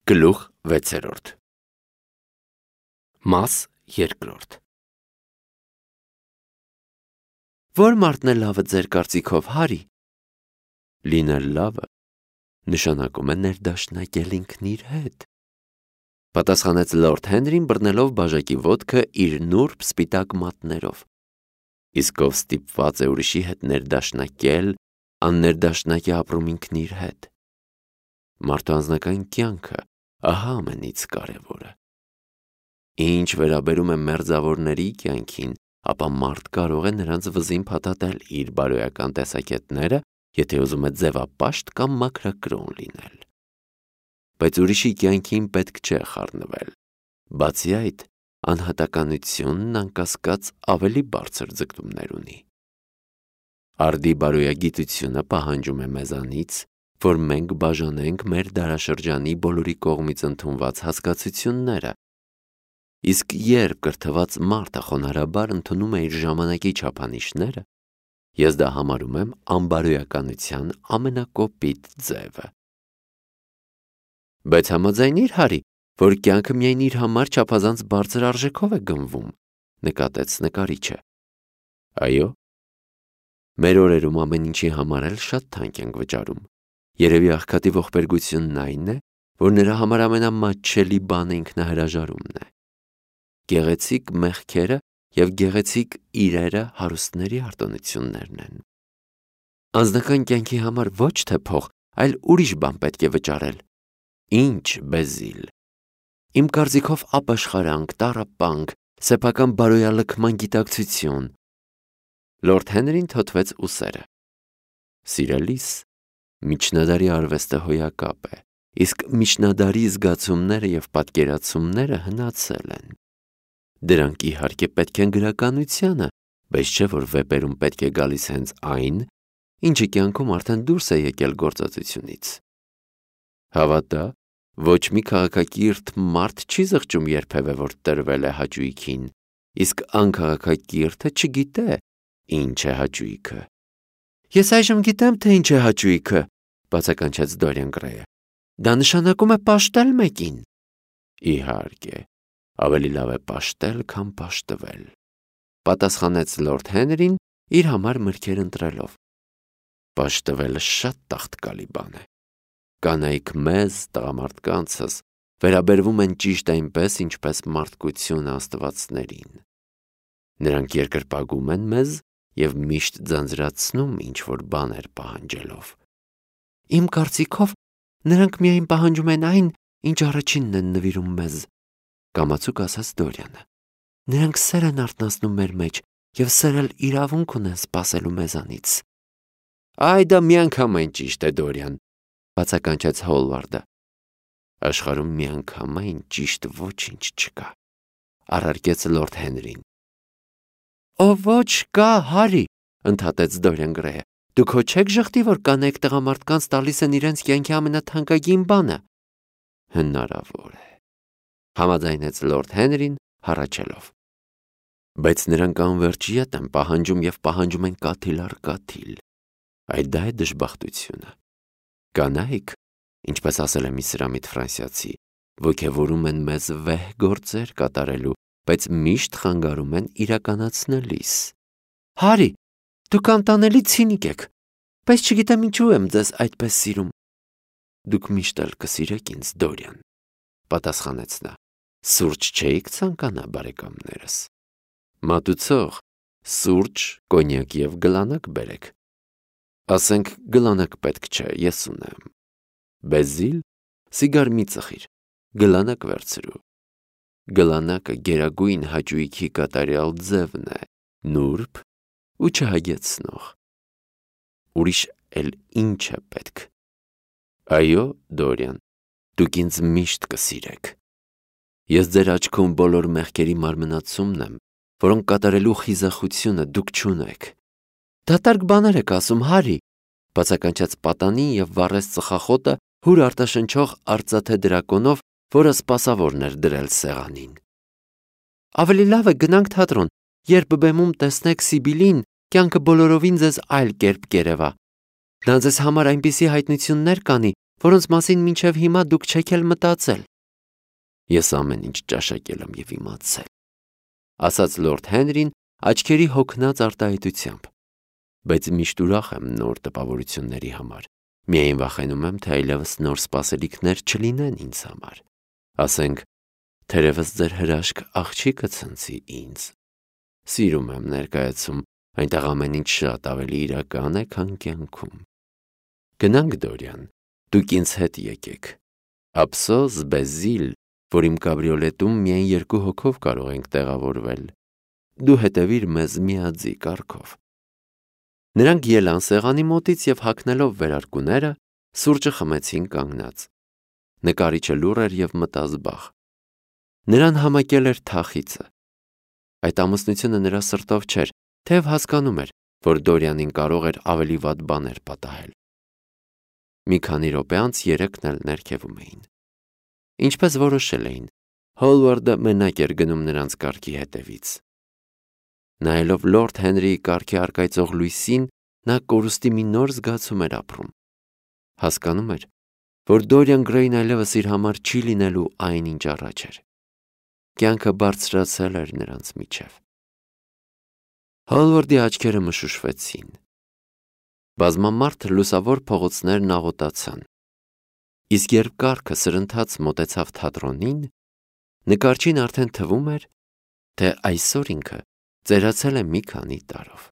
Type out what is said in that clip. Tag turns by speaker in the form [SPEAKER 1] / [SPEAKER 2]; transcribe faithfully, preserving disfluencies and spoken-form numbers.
[SPEAKER 1] Գլուխ վեցերորդ Մաս երկրորդ Որ մարդն է լավը ձեր կարծիքով, Հարի։ Լինել լավը նշանակում է ներդաշնակել ինքն իր հետ, պատասխանեց լորդ Հենրին, բռնելով բաժակի ոտքը իր նուրբ սպիտակ մատներով։ Իսկ ով ստիպված է ուրիշի հետ ներդաշնակել, աններդաշնակ է ապրում ինքն իր հետ։ Մարդու անձնական կյանքը ահա ամենից կարևորը։ Ինչ վերաբերում է մերձավորների կյանքին, ապա մարդ կարող է նրանց վզին փաթաթել իր բարոյական տեսակետները, եթե ուզում է ձևապաշտ կամ մաքրակրոն լինել։ Բայց ուրիշի կյանքին պետք չէ խառնվել։ Բացի այդ, անհատականությունն անկասկած ավելի բարձր ձգտումներ ունի։ Արդի բարոյագիտությունը պահանջում է մեզանից, որ մենք բաժանենք մեր դարաշրջանի բոլորի կողմից ընդունված հասկացությունները, իսկ երբ կրթված մարդը խոնարհաբար ընդունում է իր ժամանակի չափանիշները, ես դա համարում եմ անբարոյականության ամենակոպիտ ձևը։ Բայց համաձայնի՞ր, Հարի, որ կյանքը միայն իր համար չափազանց բարձր արժեքով է գնվում, նկատեց նկարիչը։ Այո, մեր օրերում ամեն ինչի համար էլ շատ թանկ ենք վճարում։ Երևի աղքատի ողբերգությունն այն է, որ նրա համար ամենամատչելի բանը ինքնահրաժարումն է։ Գեղեցիկ մեղքերը և գեղեցիկ իրերը հարուստների արտոնություններն են։ Անձնական կյանքի համար ոչ թե փող, այլ ուրիշ բան պետք է վճարել։ Ինչ, Բեզիլ։ Իմ կարծիքով ապաշխարանք, տառապանք, սեփական բարոյալքման գիտակցություն։ Լորդ Հենրին թոթվեց ուսերը։ Սիրելիս, միջնադարի արվեստը հոյակապ է, իսկ միջնադարի զգացումները և պատկերացումները հնացել են։ Դրանք իհարկե պետք են գրականությանը, բայց չէ որ վեպերում պետք է գալիս հենց այն, ինչը կյանքում արդեն դուրս է եկել գործածությունից։ Հավատա, ոչ մի քաղաքակիրթ մարդ չի զղջում երբևէ, որ տրվել է հաճույքին, իսկ անքաղաքակիրթը չգիտե, ինչ է հաճույքը։ Ես այժմ գիտեմ, թե ինչ է հաճույքը, բացականչեց Դորիան Գրեյը։ Դա նշանակում է պաշտել մեկին։ Իհարկե, ավելի լավ է պաշտել, քան պաշտվել, պատասխանեց լորդ Հենրին, իր համար մրգեր ընտրելով։ Պաշտվելը շատ տաղտկալի բան է։ Կանայք մեզ, տղամարդկանցս, վերաբերվում են ճիշտ այնպես, ինչպես մարդկությունը աստվածներին։ Նրանք երկրպագում են մեզ և միշտ ձանձրացնում ինչ-որ բաներ պահանջելով։ Իմ կարծիքով, նրանք միայն պահանջում են այն, ինչ առաջինն են նվիրում մեզ, կամացուկ ասաց Դորիանը։ Նրանք սեր են արթնացնում մեր մեջ և սեր էլ իրավունք ունեն սպասելու մեզանից։ Այ դա միանգամայն ճիշտ է, Դորիան, բացականչեց Հոլվարդը։ Աշխարհում միանգամայն ճիշտ ոչինչ չկա, առարկեց լորդ Հենրին։ Ո ոչ կա, Հարի, ընդհատեց Դորիան Գրեյը։ Դուք հո չեք ժխտի, որ կանայք տղամարդկանց տալիս են իրենց կյանքի ամենաթանկագին բանը։ Հնարավոր է, համաձայնեց լորդ Հենրին, հառաչելով։ Բայց նրանք անվերջ ետ են պահանջում և պահանջում են կաթիլ առ կաթիլ։ Այդ դա է դժբախտությունը։ Կանայք, ինչպես ասել է մի սրամիտ ֆրանսիացի, ոգևորում են մեզ վեհ գործեր կատարելու, բայց միշտ խանգարում են իրականացնելիս։ Հարի, դուք անտանելի ցինիկ եք, բայց չգիտեմ ինչու եմ ձեզ այդպես սիրում։ Դուք միշտ էլ կսիրեք ինձ, Դորիան, պատասխանեց նա։ Սուրճ չէիք ցանկանա, բարեկամներս։ Մատուցող, սուրճ, կոնյակ և գլանակ բերեք։ Ասենք գլանակ պետք չէ, ես ունեմ։ Բեզիլ, սիգար մի ծխիր, գլանակ վերցրու։ Գլանակը գերագույն հաճույքի կատարյալ ձևն է, նուրբ ու չհագեցնող։ Ուրիշ էլ ինչ է պետք։ Այո, Դորիան, դուք ինձ միշտ կսիրեք։ Ես ձեր աչքում բոլոր մեղքերի մարմնացումն եմ, որոնք կատարելու խիզախությունը դուք չունեք։ Դատարկ բաներ եք ասում, Հարի, բացականչեց պատանին և վառեց ծխախոտը հուր արտաշնչող արծաթե դրակոնով, որը սպասավորն էր դրել սեղանին։ Ավելի լավ է գնանք թատրոն, երբ բեմում տեսնեք Սիբիլին, կյանքը բոլորովին ձեզ այլ կերպ կերևա։ Նա ձեզ համար այնպիսի հայտնություններ կանի, որոնց մասին մինչև հիմա դուք չեք էլ մտածել։ Ես ամեն ինչ ճաշակել եմ եւ իմացել, ասաց լորդ Հենրին աչքերի հոգնած արտահայտությամբ, բայց միշտ ուրախ եմ նոր տպավորությունների համար, միայն վախենում եմ, թե այլևս նոր սպասելիքներ չլինեն ինձ համար, ասենք, թերևս ձեր հրաշք աղջիկը ցնցի ինձ, սիրում եմ ներկայացում, այնտեղ ամեն ինչ շատ ավելի իրական է, քան կյանքում։ Գնանք, Դորիան, դուք ինձ հետ եկեք, ափսոս Բեզիլ, որ իմ կաբրիոլետում միայն երկու հոգով կարող ենք տեղավորվել, դու հետևիր մեզ միաձի կարգով։ Նրանք ելան սեղանի մոտից և հագնելով վերարկուները, սուրճը խմեցին կանգնած։ Նկարիչը լուռ էր և մտազբաղ։ Նրան համակել էր թախիծը։ Այդ ամուսնությունը նրա սրտով չէր, թեև հասկանում էր, որ Դորյանին կարող էր ավելի վատ բաներ պատահել։ Մի քանի րոպե անց երեքն էլ ներքևում էին։ Ինչպես որոշել էին, Հոլվարդը մենակ էր գնում նրանց կառքի հետևից։ Նայելով լորդ Հենրիի կառքի առկայծող լույսին, նա կորուստի մի նոր զգացում էր ապրում։ Հասկանում էր, որ Դորիան Գրեյն այլևս իր համար չի լինելու այն, ինչ առաջ էր։ Կյանքը բարձրացել էր նրանց միջև։ Հոլվարդի աչքերը մշուշվեցին։ Բազմամարդ լուսավոր փողոցներն աղոտացան։ Իսկ երբ կառքը սրընթաց մոտեցավ թատրոնին, նկարչին արդեն թվում էր, թե այսօր ինքը ծերացել է մի քանի տարով։